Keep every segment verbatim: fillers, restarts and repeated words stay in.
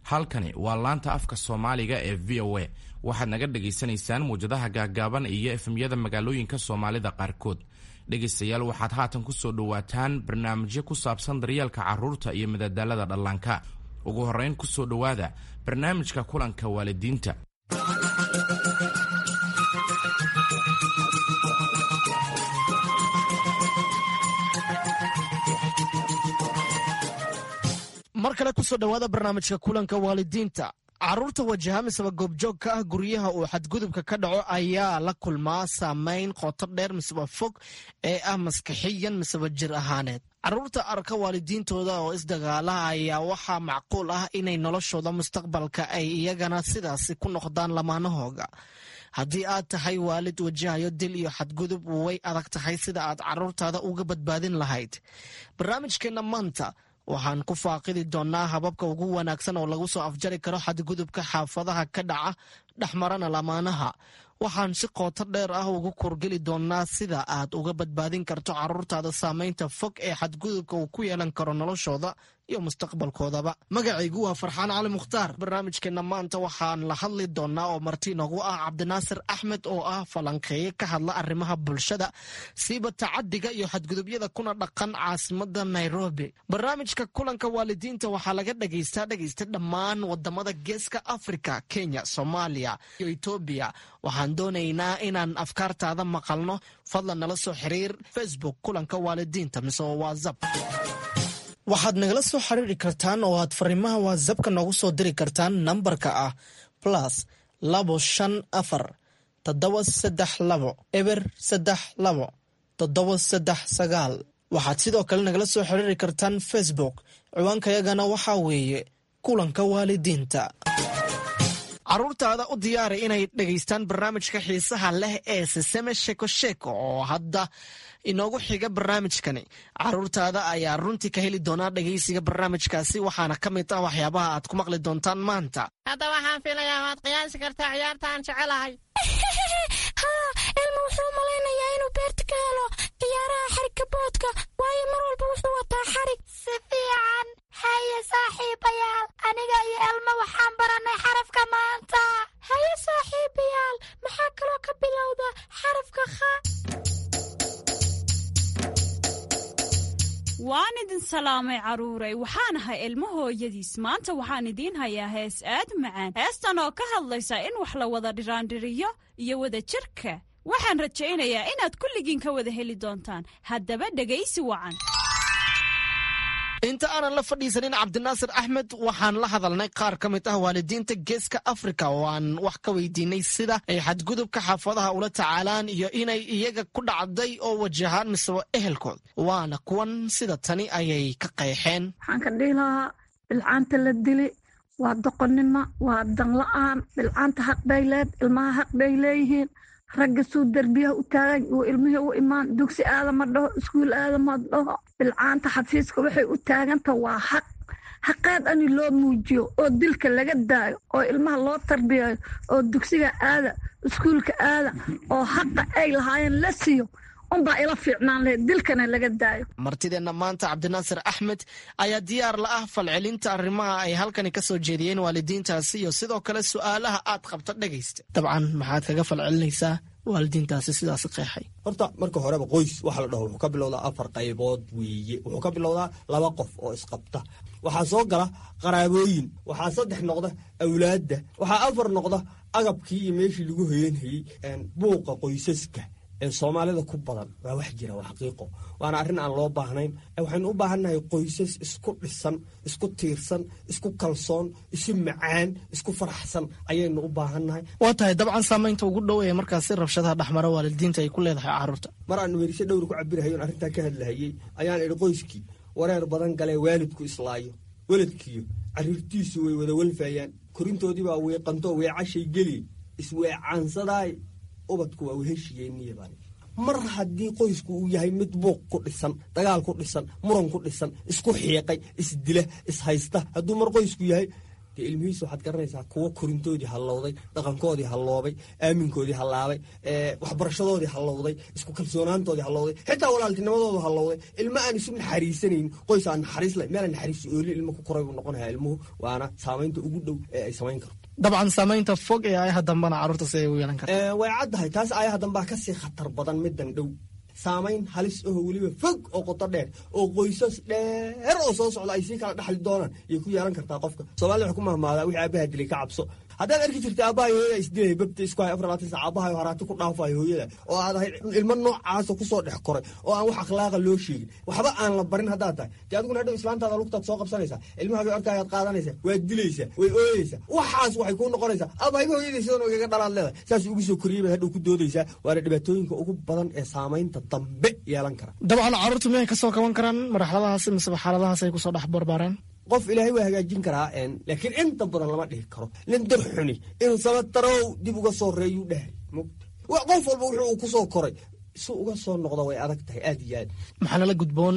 Halkani waa laanta afka Soomaaliga ee V O A. Waxaad naga dhagaysanaysaan muwjadaha gaaggaaban iyo F M-yada magaalooyinka Soomaalida qaarkood. Dhegaystayaal, waxaad haatan ku soo dhowaataan barnaamijyo ku saabsan daryeelka carruurta iyo madadaalada dhallaanka. Ugu horrayn, ku soo dhowaada barnaamijka kulanka waalidiinta. Mar kale kusoo dhowaada barnaamijka kulanka waalidiinta. Carruurta wajaha miseba goobjoog ka ah guryaha uu xadgudubka ka dhaco ayaa la kulmaa saameyn qoto dheer miseba fog ee ah maskaxiyan miseba jir ahaaneed. Carruurta arka waalidiintooda oo isdagaala ayaa waxaa macquul ah inay noloshooda mustaqbalka ay iyagana sidaasi ku noqdaan lamaanahooga. Haddii aad tahay waalid wajahayo dil iyo xadgudub, way adag tahay sida aad carruurtaada uga badbaadin lahayd. Barnaamijkeenna maanta waxaan ku faaqidi doonnaa hababka ugu wanaagsan oo lagu soo afjari karo xadgudubka xaafadaha ka dhaca dhexmarana lamaanaha. Waxaan si qooto dheer ah ugu kurgeli doonnaa sida aad uga badbaadin karto carruurtaada saameynta fog ee xadgudubka uu ku yeelan karo noloshooda iyo mustaqbalkoodaba. Magacaygu waa Farxaan Cali Mukhtaar. Barnaamijkeenna maanta waxaan la hadli doonnaa oo marti noogu ah Cabdinaasir Axmed oo ah falanqeeye ka hadla arrimaha bulshada, siiba tacadiga iyo xadgudubyada, kuna dhaqan caasimada Nairobi. Barnaamijka kulanka waalidiinta waxaa laga dhagaystaa, dhegaysta, dhammaan wadamada Geeska Africa, Kenya, Soomaaliya iyo Etoobiya. Waxaan doonaynaa inaan afkaartaada maqalno. Fadlan nala soo xiriir Facebook kulanka waalidiinta mise WhatsApp. Waxaad nagala soo xiriiri kartaan oo aad fariimaha WhatsAppka noogu soo diri kartaan nambarka ah plus labo shan afar toddoba saddex labo eber saddex labo toddoba saddex sagaal. Waxaad sidoo kale nagala soo xiriiri kartaan Facebook. Ciwaankayagana waxaa weeye kulanka waalidiinta. Carruurtaada u diyaari inay dhegaystaan barnaamijka xiisaha leh ee Siseme Sheko Sheko oo hadda inoogu xiga barnaamijkani. Carruurtaada ayaa runtii ka heli doonaa dhegaysiga barnaamijkaasi, waxaana ka mid ah waxyaabaha aad ku maqli doontaan maanta. Hadda waxaan filayaa waad qiyaasi kartaa ciyaarta aan jecelahay. Haa, Elmo wuxuu malaynayaa inuu beerta ka helo ciyaaraha xarigka boodka, waayo mar walba wuxuu wataa xarig. Si fiican. Haye saaxiibayaal, aniga iyo Elmo waxaan barannay xarafka maanta. Haye saaxiibayaal, maxaa kaloo ka bilowda xarafka kha? Waan idin salaamay, carruuray. Waxaan ahay Ilmo hooyadiis. Maanta waxaan idiin hayaa hees aad macaan, heestan oo ka hadlaysa in wax la wada dhiraandhiriyo iyo wada jirka. Waxaan rajaynayaa inaad kulligiin ka wada heli doontaan. Haddaba dhegaysi wacan. Inta aanan la fadhiisanin Cabdinaasir Axmed, waxaan la hadalnay qaar ka mid ah waalidiinta Geeska Afrika oo aan wax ka weydiinay sida ay xadgudubka xaafadaha ula tacaalaan iyo inay iyaga ku dhacday oo wajahaan miseba ehelkood. Waana kuwan, sida tani ayay ka qeexeen. Waxaan ka dhihi lahaa, bilcaanta la dili waa doqonnimo, waa danla-aan. Bilcaanta xaq bay leed, ilmaha xaq bay leeyihiin. Ragga suu derbiyaha u taagan uu ilmihii u imaan, dugsi aadama dhaho, iskuul aadama dhaho. Bilcaanta xafiiska waxay u taaganta waa xaq. Xaqeed ani loo muujiyo oo dilka laga daayo oo ilmaha loo tarbiyayo oo dugsiga aada, iskuulka aada, oo xaqa ay lahaayeen la siiyo unbaa ila fiicnaan lahayd, dilkana laga daayo. Martideenna maanta, Cabdinaasir Axmed, ayaa diyaar la ah falcelinta arrimaha ay halkani ka soo jeediyeen waalidiintaasi iyo sidoo kale su'aalaha aad qabta. Dhegaysta, dabcan maxaad kaga falcelinaysaa waalidiintaasi sidaasi qeexay? Horta marka horeba qoys waxa la dhaho wuxuu ka bilowdaa afar qaybood weeye. Wuxuu ka bilowdaa laba qof oo isqabta, waxaa soo gala qaraabooyin, waxaa saddex noqda awlaadda, waxaa afar noqda agabkii iyo meeshii lagu hoyanhayey. Buuqa qoysaska ee Soomaalida ku badan waa wax jira, waa xaqiiqo, waana arrin aan loo baahnayn. Waxaynu u baahannahay qoysas isku dhisan, isku tiirsan, isku kalsoon, isu macaan, isku faraxsan ayaynu u baahannahay. Waa tahay. Dabcan saamaynta ugu dhow ee markaasi rabshadaha dhexmara waalidiinta ay ku leedahay carruurta? Mar aan werise dhowr ku cabirahay oon arrintaa ka hadlahayey ayaan idhi: qoyskii wareer badan galee, waalidku islaayo, weladkiyo carruurtiisu way wada walfayaan, korintoodii baa weeqanto weecashay geli, isweecaansadaay, ubadku waa weheshiyeeniya baan. Mar haddii qoysku uu yahay mid buuq ku dhisan, dagaal ku dhisan, muran ku dhisan, isku xiiqay, isdila, ishaysta, hadduu mar qoysku yahay Dee ilmihiisa waxaad garanaysaa kuwo korintoodii hallowday, dhaqankoodii halloobay, aaminkoodii hallaabay, waxbarashadoodii hallowday, isku kalsoonaantoodii hallowday, xitaa walaaltinimadoodu hallowday. Ilmo aan isu naxariisanayn, qoys aan naxariis lahayn, meel aan naxariis oolin ilmo ku koray buu noqonayaa ilmuhu. Waana saamaynta ugu dhow ee ay samayn karto. Dabcan saamaynta fog ee aayaha dambana carruurta si ay u yeelan karta way caddahay. Taas aayaha dambaa kasii khatar badan middan dhow. Saamayn halis aho weliba fog oo qoto dheer oo qoysas dheer oo soo socda ay sii kala dhaxli doonaan yay ku yeelan kartaa qofka. Soomaalida waxay ku mahmaadaa wixii aabaha dilay ka cabso. Haddaad arki jirta aabbahay hooyada isdilay, babta isku hay afar labaatan saac, aabbahay haraati ku dhaafayo hooyada, oo aad ahayd ilmo noocaasa kusoo dhex koray oo aan wax akhlaaqa loo sheegin, waxba aan la barin haddaad tahay, dee adiguna hadhow islaantaada lugtaad soo qabsanaysaa, ilmahaagay arkaayaad qaadanaysaa, waad dilaysaa, way ooyeysaa, waxaas waxay kuu noqonaysaa aabahayba hooyadii sidan igaga dhalaad leedahay, saas ugu soo koriyey baad hadhow ku doodaysaa. Waana dhibaatooyinka ugu badan ee saamaynta dambe yeelan kara. Dabcan carruurtu miyay kasoo kaban karaan marxaladahaas miseba xaaladahaas ay kusoo dhex barbaareen? Qof ilaahay waa hagaajin karaa, laakiin inta badan lama dhihi karo. Nin dar xuni inuu sabatarow dib uga soo reeyuu dhahay. Qof walba wuxuu uu kusoo koray si uga soo noqda way adag tahay aad iyo aad. Maxaa nala gudboon?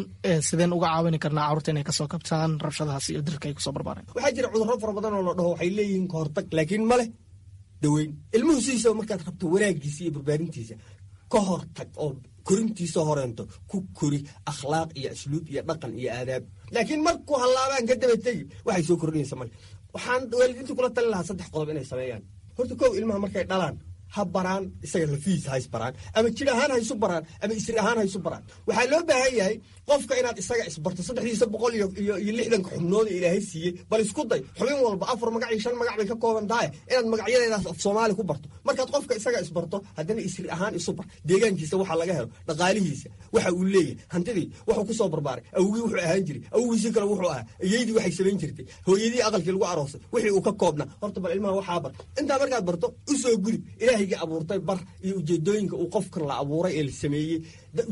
Sideen uga caawini karnaa carruurta inay kasoo kabtaan rabshadahaas iyo dilka ay kusoo barbaareen? Waxaa jira cudurro fara badan oo la dhaho waxay leeyihiin kahortag, laakiin ma leh daweyn. Ilmuhu sidiisaba markaad rabto wanaagiisa iyo barbaarintiisa ka hortag oo korintiisa horeento ku kori akhlaaq iyo asluub iyo dhaqan iyo aadaab, laakiin markuu hallaabaan ka daba tegi waxay soo kordhinaysa male. Waxaan waalidiinta kula talin lahaa saddex qodob inay sameeyaan. Horta kow, ilmaha markay dhalaan ha baraan isaga lafihiisa, ha isbaraan, ama jir ahaan ha isu baraan ama isir ahaan ha isu baraan. Waxaa loo baahan yahay qofka inaad isaga isbarto, saddexdiisa boqol iyo iyo lixdanka xubnood ee ilaahay siiyey. Bal isku day xubin walba afar magac iyo shan magac bay ka kooban tahay inaad magacyadeedaas af Soomaali ku barto. Markaad qofka isaga isbarto, haddana isir ahaan isu bar, deegaankiisa waxa laga helo, dhaqaalihiisa waxa uu leeyahay, hantidii wuxuu ku soo barbaaray, awgii wuxuu ahaan jiray, awgiisii kale wuxuu ahaa, iyaydii waxay samayn jirtay, hooyadii aqalkii lagu aroosay wixii uu ka koobnaa. Horta bal ilmaha waxaa bar. Intaa markaad barto usoo gudub ilaahayga abuurtay bar, iyo ujeedooyinka uu qofkan la abuuray ee la sameeyey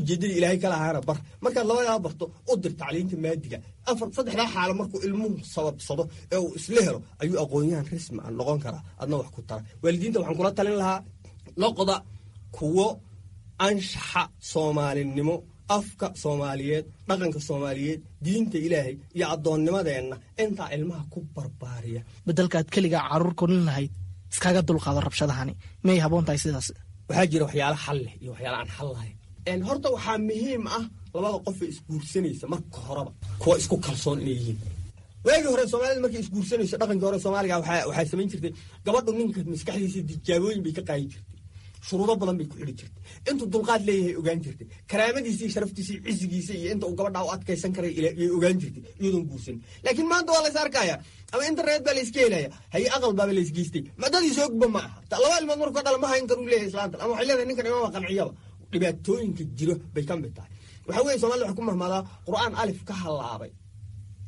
ujeeddadii ilaahay kala ahaana bar. Markaad labadaa barto u dir tacliinta maadiga. Afar saddexdaa xaalo markuu ilmuhu sababsado ee uu isla helo ayuu aqoon-yahan rasmi ah noqon karaa, adna wax ku tara. Waalidiinta waxaan kula talin lahaa noqda kuwo anshaxa soomaalinimo, afka soomaaliyeed, dhaqanka soomaaliyeed, diinta ilaahay iyo addoonnimadeenna intaa ilmaha ku barbaariya. Bedelkaad keligaa carruur korin lahayd iskaga dulqaado rabshadahani, miyay haboon tahay sidaas? Waxaa jira waxyaala xal leh iyo waxyaala aan xal lahayn. Horta waxaa muhiim ah labada qof ee isguursanaysa marka horeba kuwa isku kalsoon inay yihiin. Waagii hore soomaalida markay isguursanayso, dhaqankii hore soomaaliga waxaa samayn jirtay gabadhu ninka maskaxdiisa tijaabooyin bay ka qaadi jirtay, shuruudo badan bay ku xidhi jirtay, intuu dulqaad leeyahay ogaan jirtay, karaamadiisa iyo sharaftiisa iyo cisigiisa iyo inta uu gabadhaa u adkaysan karay yay ogaan jirtay iyadoon guursan. Laakiin maanta waa lays arkaya, ama internet baa layska helaya, haye aqal baaba laysgeystay, madadiisa ogba ma aha. Laba ilmood markuu ka dhala ma hayn karuu leeyahay islaantan, ama waxay leedahay ninkan imama qanciyaba. Dhibaatooyinka jiro bay ka mid tahay. Waxaa weeye somalida waxay ku mahmaadaa qur'aan alif ka hallaabay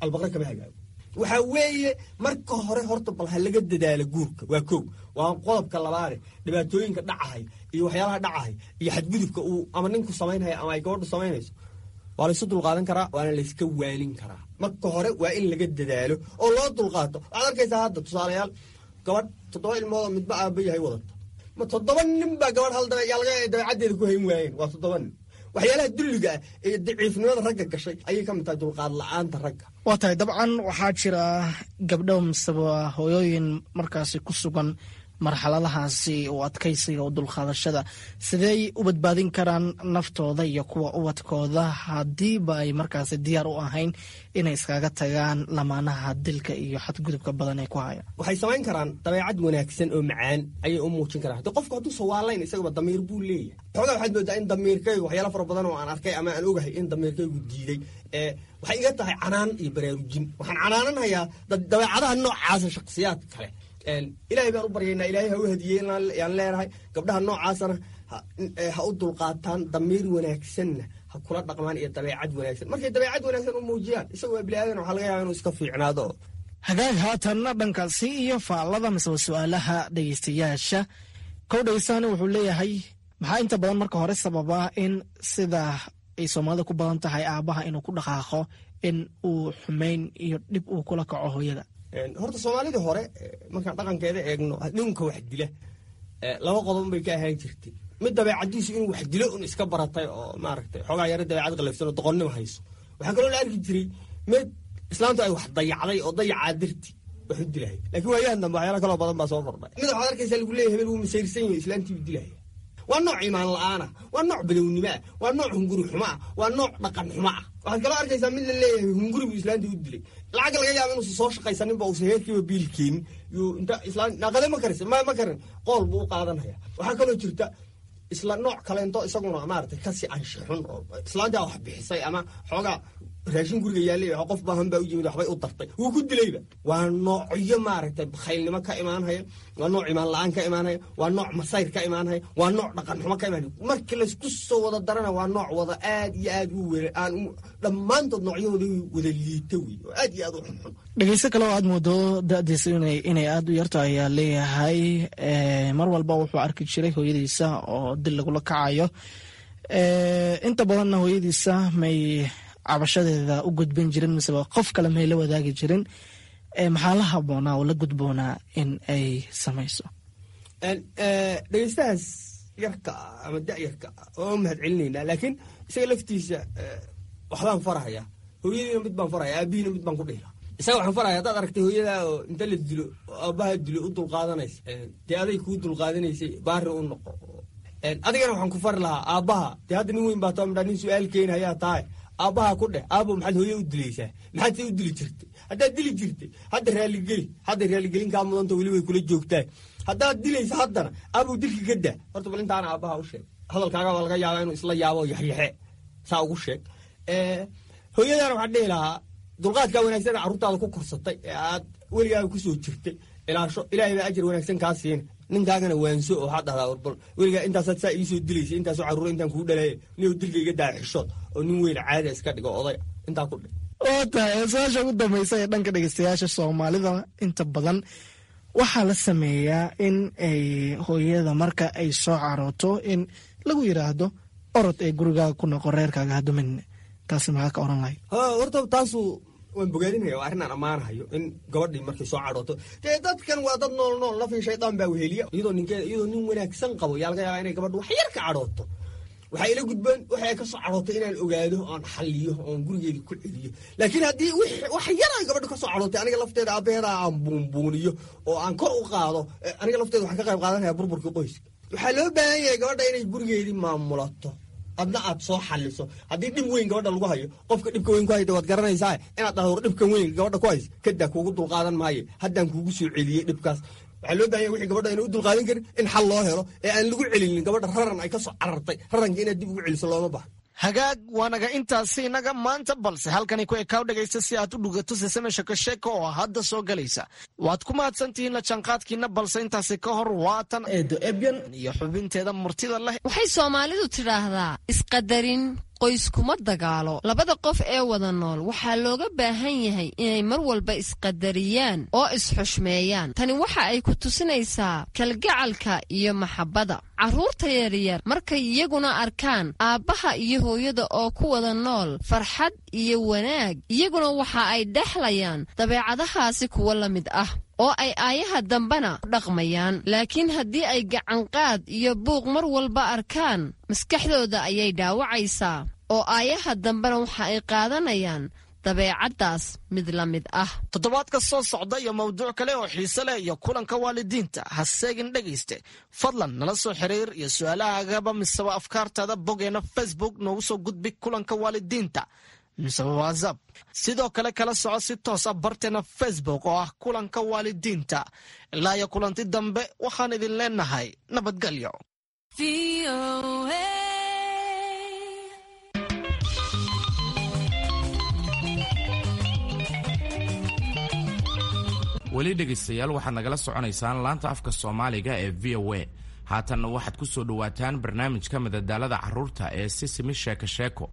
albaqre kama hagaago. Waxaa weeye marka hore horta bal ha laga dadaalo guurka, waa kow. Waa qodobka labaade, dhibaatooyinka dhacahay iyo waxyaalaha dhacahay iyo xadgudubka uu ama ninku samaynhaya ama ay gabadhu samaynayso waa laysu dulqaadan karaa, waana layska waanin karaa. Marka hore waa in laga dadaalo oo loo dulqaato. Waxaad arkaysaa hadda tusaalayaal gabadh toddoba ilmood oo midba aaba yahay wadata, ma toddoba nin baa gabadh hal dabeecaddeeda ku hayn waayeen, waa toddoba nin. Waxyaalaha dulliga ah ee daciifnimada ragga gashay ayay ka mid tahay dulqaad la-aanta ragga. Waa tahay. Dabcan waxaa jira gabdho miseba hooyooyin markaasi ku sugan marxaladahaasi oo adkaysiga oo dulqaadashada, sidey u badbaadin karaan naftooda iyo kuwa ubadkooda haddiiba ay markaasi diyaar u ahayn inay iskaga tagaan lamaanaha dilka iyo xadgudubka badan ee ku haya? Waxay samayn karaan dabeecad wanaagsan oo macaan ayay u muujin karaan. Hadii qofku hadduu sawaalayn isagaba damiir buu leeyahay. Xoogaa waxaad moodaa in damiirkaygu waxyaala fara badan oo aan arkay ama aan ogahay in damiirkaygu diiday. Waxay iga tahay canaan iyo baraarujin. Waxaan canaananhayaa dabeecadaha noocaasa shakhsiyaad kale. Ilaahay baan u baryaynaa, ilaahay ha u hadiyey yaan leenahay. Gabdhaha noocaasana ha u dulqaataan, damiir wanaagsanna ha kula dhaqmaan iyo dabeecad wanaagsan. Markay dabeecad wanaagsan u muujiyaan isaga waa bini aadan, waxaa laga yaaba inuu iska fiicnaado. Hagaag, haatanna dhankaasi iyo faallada miseba su-aalaha dhegeystayaasha. Kow dhegeystaani wuxuu leeyahay, maxaa inta badan marka hore sababa in sida ay soomaalida ku badan tahay aabaha inuu ku dhaqaaqo in uu xumeyn iyo dhib uu kula kaco hooyada? Horta soomaalidii hore markaan dhaqankeeda eegno, ninka wax dila laba qodob bay ka ahaan jirtay. Mid dabeecadiisu inuu wax dilo un iska baratay oo maaragtay xoogaa yaro dabeecad qalafsan oo doqonnimo hayso. Waxaa kaloo la arki jiray mid islaantu ay wax dayacday oo dayacaa darti wax u dilaya. Laakiin waayahan dambe waxyaala kaloo badan baa soo kordhay. Mid waxaad arkaysaa lagu leeyahay hebel wuu masayrsan yahay, islaantii buu dilaya. Waa nooc iimaan la'aana, waa nooc badownimo ah, waa nooc hunguri xumo ah, waa nooc dhaqan xumo ah. Waxaad kaloo arkaysaa mid la leeyahay hunguri buu islaantii u dilay. Lacag laga yaaba inuusan soo shaqaysaninba, uusan heerkiiba biil keenin, yuu inta islaan naqade ma karis ma ma karin, qool buu u qaadanaya. Waxaa kaloo jirta isla nooc kaleento isaguna maaragtay kasii anshixun, oo islaantaa wax bixisay ama xoogaa raashin guriga yaallay, qof baahan baa u yimid, waxbay u dartay, wuu ku dilayba. Waa noocyo maaragtay bakhaylnimo ka imaanhaya, waa nooc imaan la-aan ka imaanhaya, waa nooc masayr ka imaanhaya, waa nooc dhaqan xumo ka imaanhaya. Markii laysku soo wada darana waa nooc wada aad iyo aad u were aan dhammaantood noocyahooda wada liita wey, oo aad iyo aad u xunxun. Dhegeysto kale oo aad moodo da-diisa inay aada u yarto ayaa leeyahay mar walba wuxuu arki jiray hooyadiisa oo dil lagula kacayo. Inta badanna hooyadiisa may cabashadeeda u gudbin jirin, miseba qof kale may la wadaagi jirin. Maxaa la haboonaa oo la gudboonaa in ay samayso? Dhegeystahaas yarka ah ama da-yarka ah oo mahad celinaynaa, laakiin isaga laftiisa waxbaan farahaya. Hooyadiina mid baan farahaya, aabihiina mid baan ku dhihila. Isaga waxaan farahaya, haddaad aragtay hooyadaa oo inta la dilo oo aabbaha dilo u dulqaadanaysa, dee aday kuu dulqaadanaysay, baari u noqo. Adigana waxaan ku fari lahaa aabbaha, dee hadda nin weyn baa too midhaa, nin su-aal keenayaa tahay, aabbaha ku dheh, aabo maxaad hooye u dilaysaa? Maxaad se u dili jirtay? Haddaad dili jirtay hadda raaligeli, hadda raaligelin kaa mudanta, weli way kula joogtaa. Haddaad dilaysa haddana aabow dilka ka daa. Horta bal intaana aabbaha u sheeg, hadalkaaga baa laga yaabaa inuu isla yaabo, yaxyaxe saa ugu sheeg. Hooyadana waxaan dhihi lahaa, dulqaadkaa wanaagsan carruurtaada ku korsatay ee aad weligaaga kusoo jirtay ilaasho, ilaahay baa ajar wanaagsan kaa siina. Ninkaagana waanso oo waxaad dhahdaa, warbal weligaa intaasaad saa iisoo dilaysa, intaasoo carruura intaan kugu dhalaaya, niyow dilka iga daa, xishood oo nin weyn caada iska dhigo, oday intaa ku dhig. Waa tahay su-aasha ugu dambaysa ee dhanka dhegeystayaasha soomaalida. Inta badan waxaa la sameeyaa in ay hooyada marka ay soo carooto in lagu yidhaahdo orod ee gurigaaga ku noqo, reerkaaga hadumin. Taasi maxaa ka oran lahayd? Horta taasu waan bogaadinaya, waa arrin aan ammaanahayo in gabadhii markay soo cadhooto, dee dadkan waa dad nool nool, nafii shaydaan baa weheliya. Iyadoo ninkeeda, iyadoo nin wanaagsan qabo, yaa laga yaabaa inay gabadhu wax yar ka cadhooto. Waxay ila gudbeen waxay ay ka soo cadhootay inaan ogaado oon xalliyo oon gurigeedii ku celiyo. Laakiin haddii wax yar ay gabadhu ka soo cadhootay, aniga lafteeda aabbaheeda aan buunbuuniyo oo aan kor u qaado, aniga lafteeda waxaan ka qayb qaadanaya burburkii qoyska. Waxaa loo baahan yahay gabadha inay gurigeedii maamulato, adna aad soo xaliso. Haddii dhib weyn gabadha lagu hayo, qofka dhibka weyn ku hayda waad garanaysaa, inaad dhahdo war dhibkan weyn gabadha ku hays kadaa, kuugu dulqaadan maayo, haddaan kuugu soo celiyey dhibkaas. Waxaa loo bahan yahy wixii gabadha ayna u dulqaadan karin in xal loo helo ee aan lagu celinin gabadha raran ay ka soo carartay. Raranka inaad dib ugu celiso looma baahno. Hagaag, waanaga intaasi inaga maanta, balse halkani ku ekaaw dhegaysta si aad u dhugato sesame sheko sheeko oo hadda soo galaysa. Waad ku mahadsantihiin la jaanqaadkiina, balse intaasi ka hor waatan eedo Ebyan iyo xubinteeda murtida leh. Waxay soomaalidu tidhaahdaa isqadarin qoyskuma dagaalo. Labada qof ee wada nool waxaa looga baahan yahay inay mar walba isqadariyaan oo isxushmeeyaan. Tani waxa ay ku tusinaysaa kalgacalka iyo maxabbada. Carruurta yaryar markay iyaguna arkaan aabbaha iyo hooyada oo ku wada nool farxad iyo wanaag, iyaguna waxa ay dhexlayaan dabeecadahaasi kuwo la mid ah oo ay aayaha dambena ku dhaqmayaan. Laakiin haddii ay gacanqaad iyo buuq mar walba arkaan, maskaxdooda ayay dhaawacaysaa oo aayaha dambena waxa ay qaadanayaan dabeecaddaas mid la mid ah. Toddobaadka soo socda iyo mawduuc kale oo xiise leh iyo kulanka waalidiinta ha seegin dhegayste. Fadlan nala soo xiriir iyo su-aalahaagaba miseba afkaartaada boggeena Facebook noogu soo gudbi kulanka waalidiinta miseba WhatsApp. Sidoo kale kala soco si toos ah barteena Facebook oo ah kulanka waalidiinta. Ilaa iyo kulanti dambe waxaan idin leenahay nabadgelyo. Weli dhegaystayaal, waxaad nagala soconaysaan laanta afka soomaaliga ee V O A. Haatanna waxaad ku soo dhowaataan barnaamijka madadaalada carruurta ee Sisimi Sheeko Sheeko.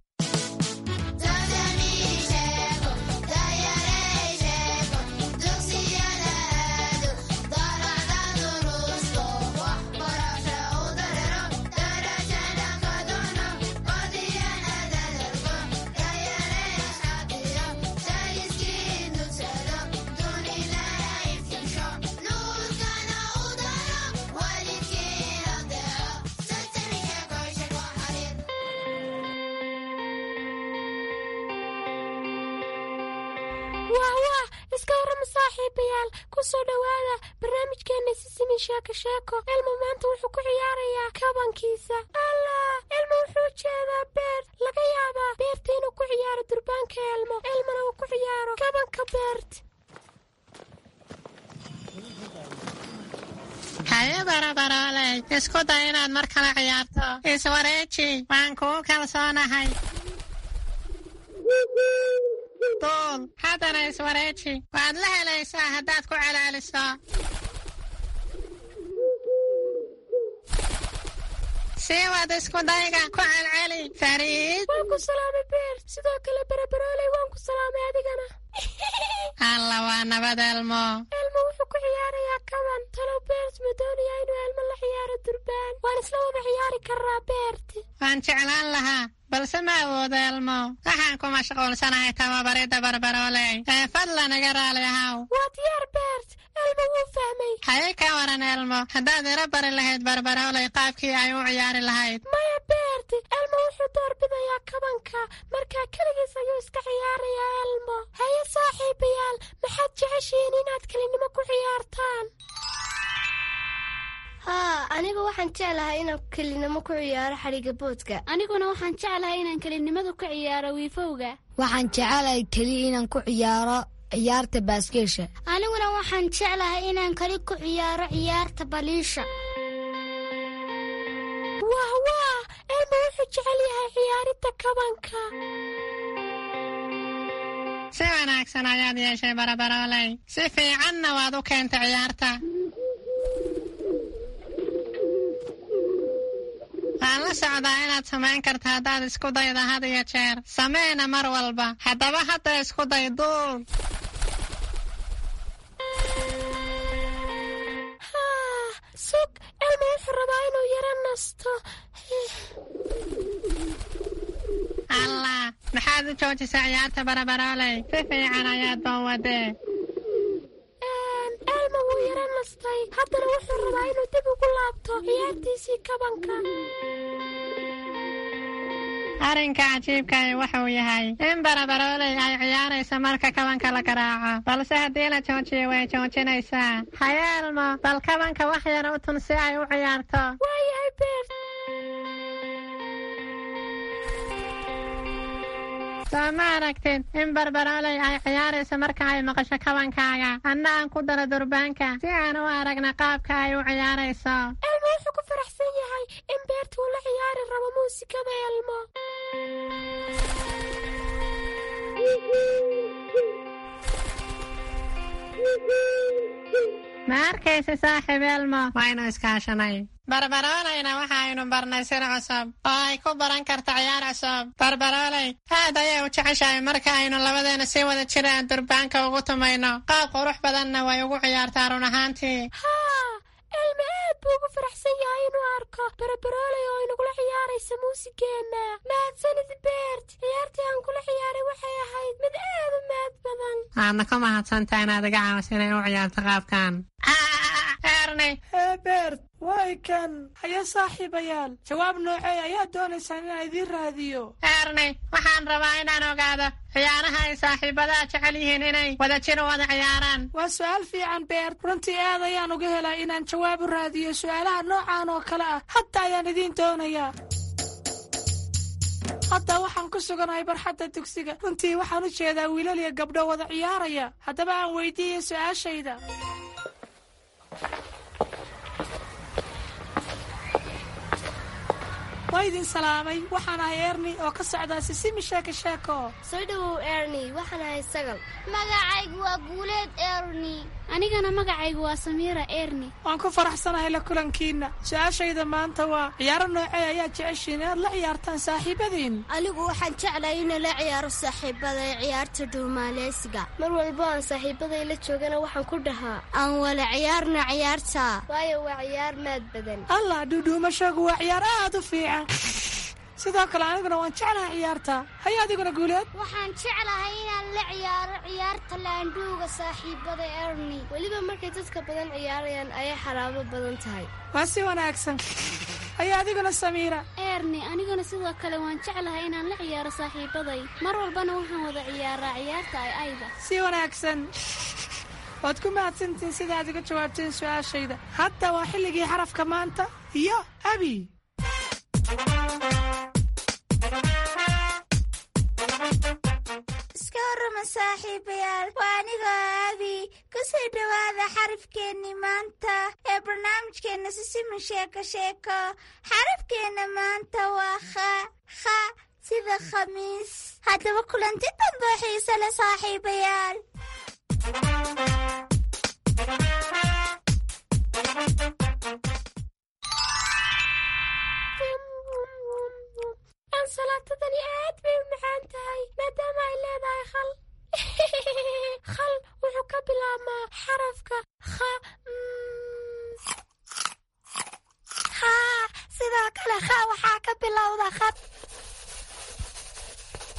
Ku soo dhowaada barnaamijkeena Sisimi Sheeko Sheeko. Elmo maanta wuxuu ku ciyaarayaa kabankiisa. Allah, Elmo wuxuu jeedaa Beert. Laga yaabaa Beert inuu ku ciyaaro durbaanka Elmo, Elmona uu ku ciyaaro kabanka Beert. Haye Barabarooley, isku day inaad mar kale ciyaarto. Iswareeji, waan kuu kalsoonahay. Duul, haddana iswareeji. Waad la helaysaa haddaad ku calaaliso. Sii wad isku dayga, ku celceli. Fariid. Waan ku salaamay Beert. Sidoo kale Barabarooley, waan ku salaamay adigana. Alla, waa nabad Elmo. Elmo wuxuu ku ciyaarayaa kaban. Talow Beert ma doonayaa inuu Elmo la ciyaaro durbaan? Waan isla wada ciyaari karraa Beert. Waan jeclaan lahaa, balse ma awoodo Elmo. Waxaan ku mashquulsanahay tababaridda Barbarooley. Ee fadlan iga raali ahaw. Waa diyaar Beert. Elmo wuu fahmay. Haye, ka waran Elmo, haddaad ila bari lahayd Barbarooley qaabkii ay u ciyaari lahayd? Maya Beert, Elmo wuxuu doorbidayaa kabanka. Markaa keligiis ayuu iska ciyaarayaa Elmo. Haye saaxiibayaal, maxaad jeceshihiin inaad kelinimo ku ciyaartaan? Haa, anigu waxaan jeclahay inaan kelinimo ku ciyaaro xadhigga boodka. Aniguna waxaan jeclahay inaan kelinimada ku ciyaaro wiifowga. Waxaan jecelahay keliya inaan ku ciyaaro ciyaarta baaskeesha. Aniguna waxaan jeclahay inaan keli ku ciyaaro ciyaarta baliisha. Wah wah, Elmo wuxuu jecel yahay ciyaaridda kabanka. Si wanaagsan ayaad yeeshay Barabarooley. Si fiicanna waad u keentay ciyaarta. Waan la socdaa inaad samayn karto haddaad isku dayda had iyo jeer. Sameena mar walba. Haddaba hadda isku day, duul. Haa, sug, Elmo wuxuu rabaa inuu yaro nasto. Allah, maxaad u joojisay ciyaarta Barabarooley? Si fiican ayaad baan wadee. Elmo wuu yaro nastay. Haddana wuxuu rabaa inuu dib ugu laabto ciyaartiisii kabanka. Arrinka cajiibkahi wuxuu yahay in Barabarooley ay ciyaarayso marka kabanka la garaaco, balse haddii la joojiyo way joojinaysaa. Haye Elmo, bal kabanka wax yar u tun si ay u ciyaarto. Waayahay Beert. Soo ma aragtid in Barbarooley ay ciyaarayso marka ay maqasho kabankaaga? Anna aan ku daro durbaanka si aan u aragna qaabka ay u ciyaarayso. Elmo wuxuu ku faraxsan yahay in Beert uu la ciyaari rabo muusikada Elmo. Ma arkaysa saaxiib Elmo, waynu iskaashanay. Barbarooleyna waxaynu barnay sir cusub oo ay ku baran karto ciyaar cusub. Barbarooley aad ayay u jeceshahay marka aynu labadeena si wada jir aan durbaanka ugu tumayno. Qaab qurux badanna way ugu ciyaartaa run ahaantii. Haa, Elmo aad buu ugu faraxsan yahay inuu arko Barabarooley oo inagula ciyaaraysa muusigeenna. Mahadsanid Beert. Ciyaartii aan kula ciyaaray waxay ahayd mid aad u mahad badan. Waadna ku mahadsantahay inaad iga caawiso inay u ciyaarto qaabkan. Erni. Hee Beert, way kan. Haye saaxiibayaal, jawaab noocee ayaa doonaysaan inaan idiin raadiyo? Erni, waxaan rabaa inaan ogaado ciyaaraha ay saaxiibadaha jecel yihiin inay wadajir u wada ciyaaraan. Waa su'aal fiican Beert. Runtii aad ayaan uga helaa inaan jawaab u raadiyo su'aalaha noocan oo kale ah. Hadda ayaan idiin doonayaa. Hadda waxaan ku suganahay barxadda dugsiga. Runtii waxaan u jeedaa wiilal iyo gabdho wada ciyaaraya. Haddaba aan weydiiyey su'aashayda. Waa idin salaamay. Waxaan ahay Erni oo ka socdaa Sisimi Sheeko Sheeko. Soo dhowow Erni, waxaan ahay Sagal. Magacaygu waa Guuleed Erni. Anigana magacaygu waa Samiira Erni. Waan ku faraxsanahay la kulankiina. Su-aashayda maanta waa ciyaaro noocee ayaa jeceshiin inaad la ciyaartaan saaxiibadiin? Anigu waxaan jeclahay inaan la ciyaaro saaxiibaday ciyaarta dhuumaaleysiga. Mar walbo aan saaxiibaday la joogana waxaan ku dhahaa aan wala ciyaarna ciyaarta, waayo waa ciyaar maad badan. Allah, dhuudhuumashagu waa ciyaar aad u fiican. Sidoo kale aniguna waan jeclahay ciyaarta. Haye adiguna Guuleed? Waxaan jeclahay inaan la ciyaaro ciyaarta laandhuuga saaxiibada Erni. Weliba markay dadka badan ciyaarayaan ayay xaraabo badan tahay. Waa si wanaagsan. Haye adiguna Samiira? Erni, aniguna sidoo kale waan jeclahay inaan la ciyaaro saaxiibaday. Mar walbana waxaan wada ciyaaraa ciyaarta ay ayda. Si wanaagsan. Waad ku mahadsantihiin sida aad iga jawaabteen su-aashayda. Hadda waa xilligii xarafka maanta iyo Abi. Iska warrama saaxiibayaal, waa anigoo Abi. Kusoo dhowaada xarafkeennii maanta ee barnaamijkeenna Sisimin Sheeko Sheeko. Xarafkeenna maanta waa kha, kha sida khamiis. Haddaba kulanti dambe xiise leh saaxiibayaal. Ansalaatadani aad bay u macaan tahay maadaama ay leedahay khal. Khal wuxuu ka bilaabmaa xarafka kha. Haa, sidoo kale kha waxaa ka bilowda khad.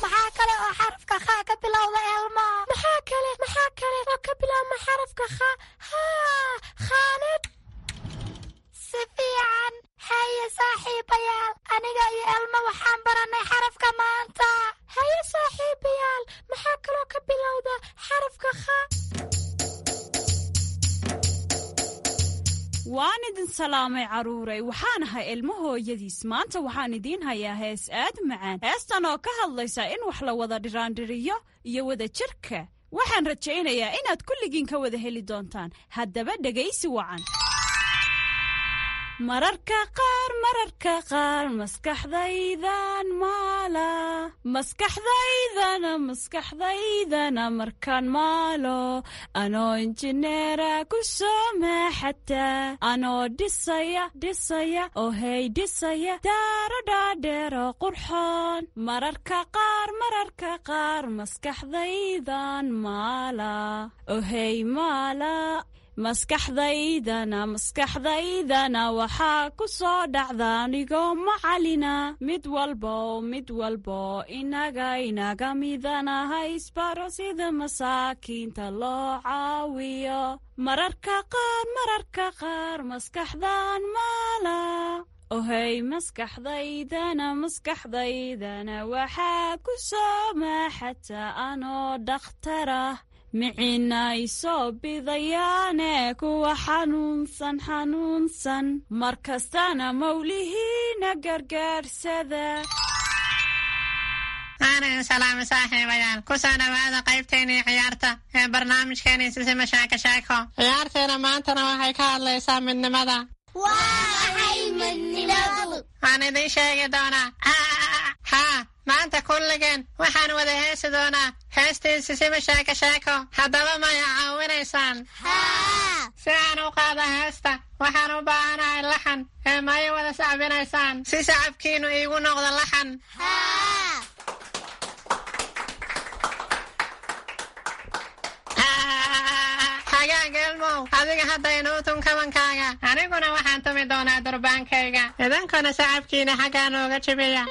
Maxaa kale oo xarafka kha ka bilowda, Elmo? Maxaa kale maxaa kale oo ka bilaabma xarafka kha? Haa, khaanad. Si fiican. Haye saaxiibayaal, aniga iyo Elmo waxaan barannay xarafka maanta. Haye saaxiibayaal, maxaa kaloo ka bilowda xarafka kha? Waan idin salaamay carruuray, waxaan ahay Ilmo hooyadiis. Maanta waxaan idiin hayaa hees aad u macaan, heestan oo ka hadlaysa in wax la wada dhiraandhiriyo iyo wada jirka. Waxaan rajaynayaa inaad kulligiin ka wada heli doontaan. Haddaba dhegaysi wacan. Mararka qaar, mararka qaar, maskaxdaydan maala, maskaxdaydana, maskaxdaydana markaan maalo, anoo injineera ku soo maaxataa, anoo dhisaya, dhisaya, oo hey dhisaya daaro dhaadheero qurxoon. Mararka qaar, mararka qaar, maskaxdaydan maala, oo hey maala, maskaxdaydana, maskaxdaydana waxaa ku soo dhacda anigoo macalina. Mid walbo, mid walbo inaga inaga midanaha isbaro sida masaakiinta loo caawiyo. Mararka qaar, mararka qaar, maskaxdan maala, ohey maskaxdaydana, maskaxdaydana waxaa ku soo maaxata anoo dhakhtarah, micina isoo bidayaane kuwa xanuunsan, xanuunsan, mar kastana mawlihiina gargaarsada. Aanan salaamo saaxiibayaal, kusoo dhowaada qaybteennii ciyaarta ee barnaamijkeenii Sisima Sheeko Sheeko. Ciyaarteena maantana waxay ka hadlaysaa midnimada. Waa maxay midnimadu? Waan idiin sheegi doonaa. Haa, maanta kulligeen waxaan wada heesi doonaa heestii Sisima Sheeko Sheeko. Haddaba maya caawinaysaan? Si aan u qaada heesta waxaan u baahanahay laxan, ee maya wada sacbinaysaan si sacabkiinnu iigu noqdo laxan? Hagaag Elmow, adiga hadda inuu tun kabankaaga, aniguna waxaan tumi doonaa durbaankayga, idinkuna sacabkiina xaggaa nooga jibiya.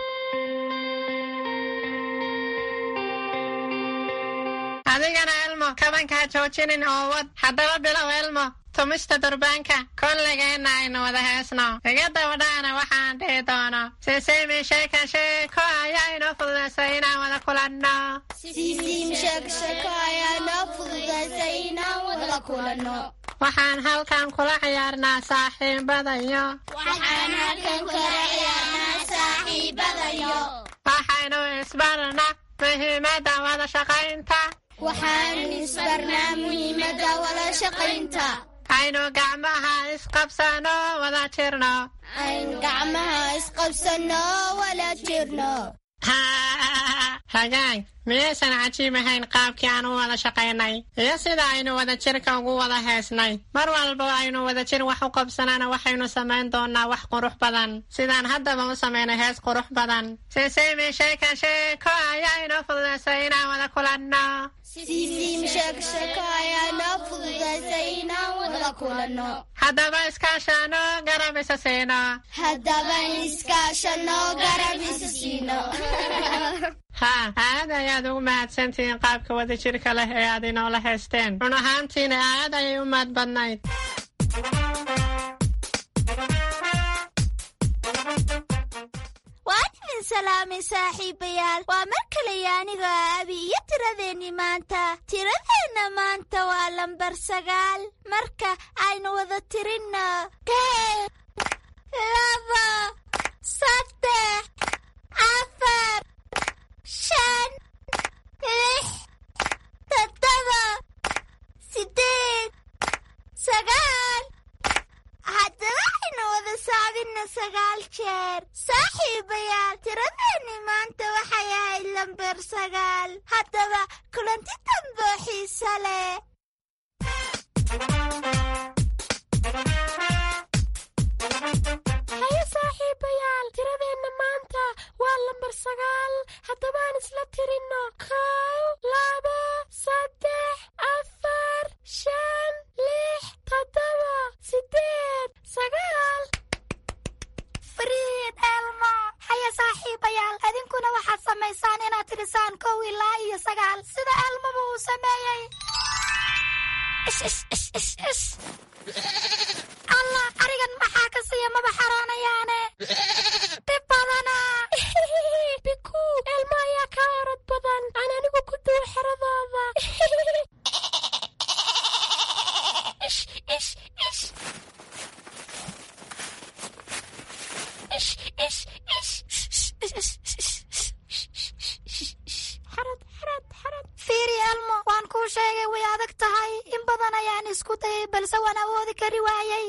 Adigana Elmo, kabanka ha joojinin oo wad. Haddaba bilow Elmo tumista durbaanka. Kolligeenna aynu wada heesno, iga dabadhaana waxaan dhihi doono. Sisiimi Sheeka Sheeko ayaa inoo fududaysay inaan wada kulanno. Sisiimi Sheeko Sheeko ayaa inoo fududaysay inaan wada kulanno. Waxaan halkan kula ciyaarnaa saaxiibadayo. Waxaan halkan kula ciyaarnaa saaxiibadayo. Waxaynu isbarnaa muhiimadda wada shaqaynta. Waxaan isbarnaa muhiimadda wada shaqaynta. Aynu gacmaha isqabsano wada jirno. Aynu gacmaha isqabsano wada jirno. Hagaag, miyaysan cajiib ahayn qaabkii aan u wada shaqaynay iyo sida aynu wada jirka ugu wada heesnay? Mar walba aynu wada jir wax u qabsanana waxaynu samayn doonaa wax qurux badan, sidaan haddaba u samaynay hees qurux badan. Sisiimi Sheeka Sheeko ayaa inoo fududaysay inaan wada kulanno. Sisiimi Sheeko Sheeko ayaa inoo fududaysay inaan wada kulanno. Haddaba iskaashano garab isa siino. Haddaba iskaashano garab isa siino. Haa, aad ayaad ugu mahadsantihiin qaabka wadajirka leh ee aad inoola heesteen. Run ahaantiina aad ayay u mahad badnayd. Waan idin Salaamay saaxiibayaal, waa mar kale aniga Abi iyo tiradeenni maanta. Tiradeenna maanta waa lambar sagaal. Marka aynu wada tirinno: kow, laba, saddex, afar, shan, lix, toddoba, sideed, sagaal. Haddaba aynu wada saabinna sagaal jeer. Saaxiibayaal, tiradeenni maanta waxay ahayd lambar sagaal. Haddaba kulanti dambe oo xiisa leh. Haye saaxiibayaal, tiradeenna maanta waa lambar sagaal. Haddaba aan isla tirinno: kow, laba, saddex, afar, shan, lix, toddoba, sideed, sagaal. Fariid Elmo. Haya saaxiibayaal, adinkuna waxaad samaysaan inaad tirisaan kow ilaa iyo sagaal sida Elmoba uu sameeyey. Ish ish ish ish ish. Allah, arigan maxaa ka siiya? Maba xaroonayaane, dhib badana. Biku, Elmo ayaa kaa orod badan. Aan anigu ku duwo xeradooda. Ish ish ish ish ish ish. Xarad, xarad, xarad. Fiiri Elmo, waan kuu sheegay, way adag tahay. In badan ayaan isku dayay, balse waan awoodi kari waayey.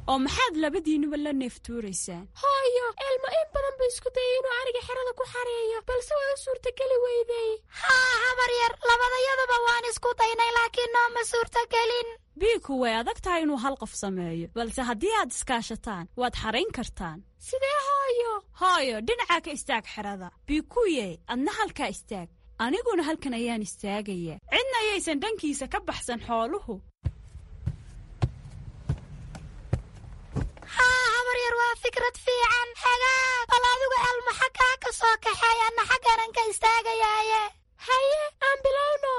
Oo maxaad labadiinuba la neeftuuraysaan? Hooyo, Elmo in badan buu isku dayay inuu ariga xerada ku xareeyo, balse way u suurtageli weyday. Haa habar yar, labadayaduba waan isku daynay, laakiin nooma suurtagelin. Biiku, way adag tahay inuu hal qof sameeyo, balse haddii aad iskaashataan waad xarayn kartaan. Sidee hooyo? Hooyo, dhinacaa ka istaag xerada. Biikuye, adna halkaa istaag, aniguna halkan ayaan istaagayaa. Cidna ayaysan dhankiisa ka baxsan xooluhu. Haa habar yar, waa fikrad fiican. Hagaag, bal adigu Elmo xaggaa ka soo kaxeey, anna xaggaanan ka istaagayaaye. Haye, aan bilowno.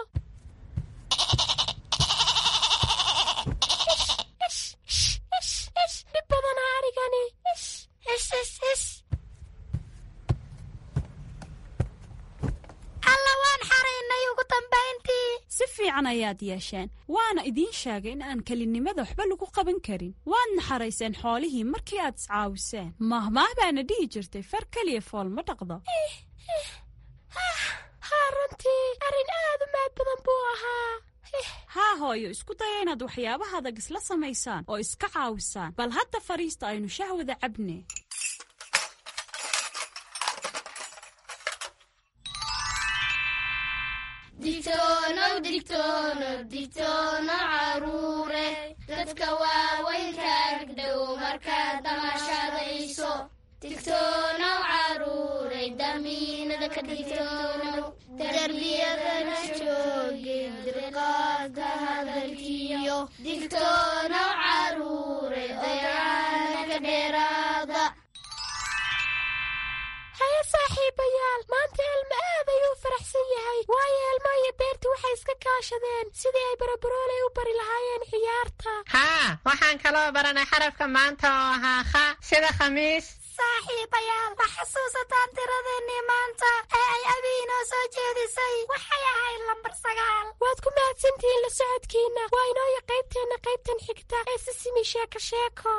Ish ish ish ish, dhib badanaa arigani. Ish ish ish ish. Alla, waan xaraynay ugu dambayntii. Si fiican ayaad yeesheen, waana idiin sheegay in aan kelinimada waxba lagu qaban karin. Waadna xarayseen xoolihii markii aad iscaawiseen. Mahmaah baana dhihi jirtay, far keliya fool ma dhaqdo. Haa, runtii arrin aad u mahad badan buu ahaa. Haa hooyo, isku daya inaad waxyaabaha adag isla samaysaan oo iska caawisaan. Bal hadda fadhiista, aynu shahwada cabne. Digtoonow, digtoonow, digtoonow caruure, dadka waaweynka agdhow markaad damashadayso. Digtoonow caruure, damiinada ka digtoonow, darbiyadana jooge dirqaada hadalkiyo. Digtoonow caruure, dayaana ka dheeraada. Haye saaxiibayaal, maanta Elmo aad ayuu u faraxsan yahay, waayo Elmo iyo Beerti waxay iska kaashadeen sidii ay Barabarooley u bari lahaayeen ciyaarta. Haa, waxaan kaloo baranay xarafka maanta oo ahaa kha, sida khamiis. Saaxiibayaal, ma xasuusataan tiradeennii maanta ee ay Abi inoo soo jeedisay? Waxay ahayd lambar sagaal. Waad ku mahadsantihiin la socodkiinna. Waa inooya qaybteenna qaybtan xigta ee Sisimi Sheeko Sheeko.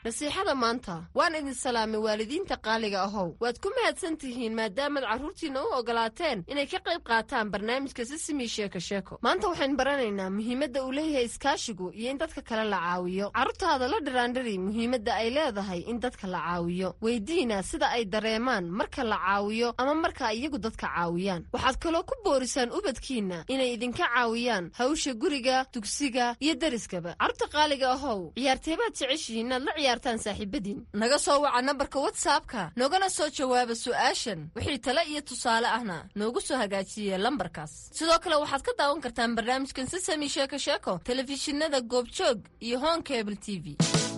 Nasiixada maanta: waan idin salaamay waalidiinta qaaliga ahow. Waad ku mahadsan tihiin maadaamaad carruurtiinna u ogolaateen inay ka qayb qaataan barnaamijka Sisimi Sheeko Sheeko. Maanta waxaynu baranaynaa muhiimadda uu leeyahay iskaashigu iyo in dadka kale la caawiyo. Carruurtaada la dhiraandhiri muhiimadda ay leedahay in dadka la caawiyo. Weydiina sida ay dareemaan marka la caawiyo ama marka iyagu dadka caawiyaan. Waxaad kaloo ku boorisaan ubadkiinna inay idinka caawiyaan hawsha guriga, dugsiga iyo deriskaba. Carruurta qaaliga ahow, ciyaarteebaad jeceshihiin inaad la ciyaartaan saaxiibadiin? Naga soo waca nambarka WhatsAppka, noogana soo jawaaba su'aashan. Wixii tale iyo tusaale ahna noogu soo hagaajiye lambarkaas. Sidoo kale waxaad ka daawan kartaan barnaamijkan Sisami Sheeko Sheeko telefishinada Goobjoog iyo Horn Cable T V.